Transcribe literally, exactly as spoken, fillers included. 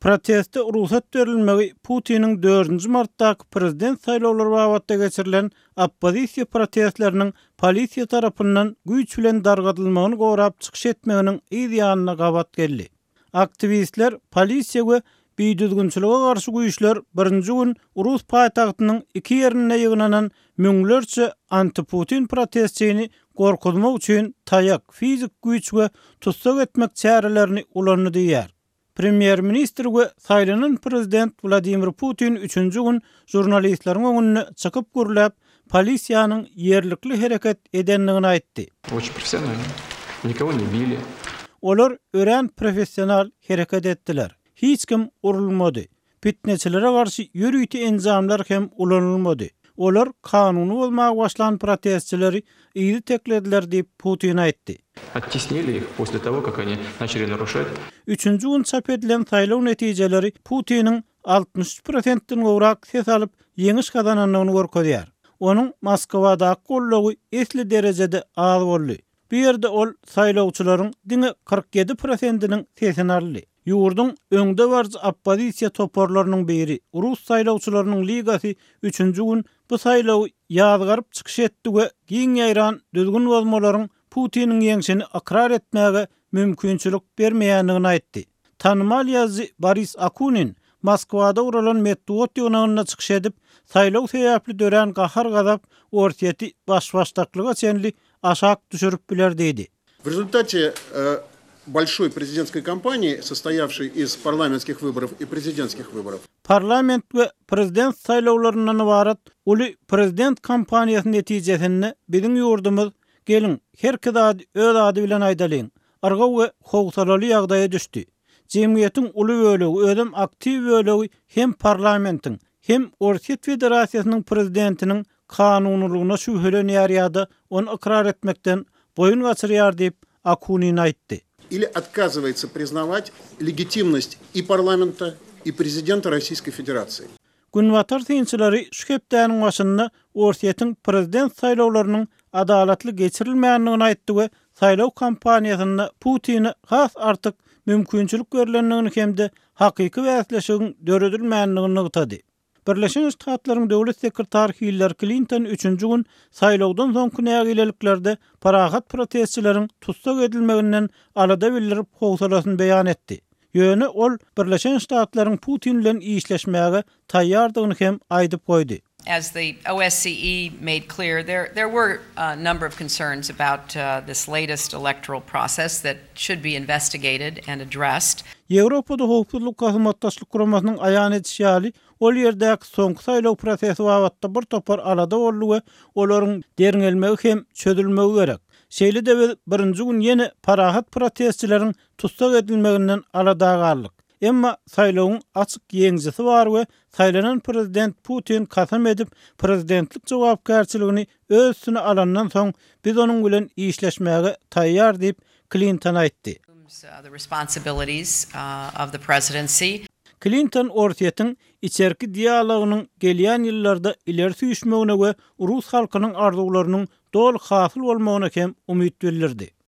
Proteste rugsat berilmegi Putiniň dördünji martdaky prezident saýlawlary babatda geçirilen oppozisiýa protestleriniň polisiýa tarapyndan güýç bilen dargadylmagyny gorap çykyş etmeginiň yz ýanyna gabat geldi. Aktiwistler polisiýa we bidüzgünçilige garşy güýçler birinji gün Rus paýtagtynyň iki ýerinde ýygnanan müňlerçe anti-Putin protestçyny gorkuzmak üçin taýak, fizik güýç we tussag etmek çärelerini ulandy diýýär. Premýer-ministr we saýlanan prezident Wladimir Putin üçünji gün žurnalistleriň öňünde çykyp gürläp, polisiýanyň ýerlikli hereket edendigini aýtdy. Очень профессионально. Никого не били. Olar örän professional hereket etdiler. Hiç kim urulmady. Pitneçilere garşy ýörite enjamlar hem ulanylmady. Olar kanuny bozmaga başlan protestçileri yzy teklediler diýip Putin aýtdy. Оттеснили их после того, как они начали нарушать. Üçünji gün çap edilen saýlaw netijeleri Putiniň altmyş üç prosentden gowrak ses alyp ýeňiş gazanandygyny görkezýär. Onuň Moskwadaky goldawy esli derejede az boldy. Bu ýerde ol saýlawçylaryň diňe kyrk ýedi prosentiniň sesini aldy. Ýurduň öňdebaryjy oppozisiýa toparlarynyň biri Rus saýlawçylarynyň ligasy üçünji gün bu saýlawy ýazgaryp çykyş etdi we giň ýaýran düzgün bozmalaryň Putiniň ýeňşini ykrar etmäge mümkinçilik bermeýändigini aýtdy. Tanymal ýazyjy Boris Akunin Moskwada guralan metbugat ýygnagynda çykyş edip, saýlaw sebäpli dörän gahar-gazap Orsýeti baş-başdaklyga çenli aşak düşürip biler diýdi. В результате, э, большой президентской кампании, состоявшей из парламентских выборов и президентских выборов. Parlament we prezident saýlawlaryndan ybarat uly prezident kampaniýasy netijesinde biziň ýurdumyz geliň her zady öz ady bilen aýdalyň. Yrgaw we howsalaly ýagdaýa düşdi. Jemgyýetiň uly bölegi, özem aktiw bölegi hem parlamentiň, hem Orsýet Federasiýasynyň prezidentiniň kanunylygyna şübhelenýär ýa-da ony ykrar etmekden boýun gaçyrýar diýip Akunin aýtdy. Или отказывается признавать легитимность и парламента, и президента Российской Федерации. Günbatar synçylary şu hepdäniň başynda Orsýetiň prezident saýlawlarynyň adalatly geçirilmändigini aýtdy we saýlaw kampaniýasynda Putine has artyk mümkinçilik berilendigini hem-de hakyky bäsleşigiň döredilmändigini nygtady. Birleşen Ştatlaryň döwlet sekretary Hillary Clinton üçünji gün saýlawdan soňky nägileliklerde parahat protestçileriň tussag edilmeginden alada bildirip howsalasyny beýan etdi. Ýöne ol Birleşen Ştatlaryň Putin bilen işleşmäge taýýardygyny hem aýdyp goýdy. As the O S C E made clear, there, there were a number of concerns about, uh, this latest electoral process that should be investigated and addressed. Ýewropada howpsuzlyk hyzmatdaşlyk guramasynyň aýan edişi ýaly, ol ýerdäki soňky saýlaw prosesi babatda bir topar alada boldy we olaryň derňelmegi hem çözülmegi gerek. Şeýle-de biz birinji gün ýene parahat protestçileriň tussag edilmeginden alada galdyk. Emma saýlawyň açyk ýeňijisi bar we saýlanan prezident Putin kasam edip prezidentlik jogapkärçiligini öz üstüne alandan soň biz onuň bilen işleşmäge taýýar diýip Clinton aýtdy. The responsibilities, uh, of the presidency. Clinton Orsýetiň içerki dialogynyň gelýän ýyllarda ileri süýşmegine we Rus halkynyň arzuwlarynyň doly hasyl bolmagyna hem umyt bildirdi.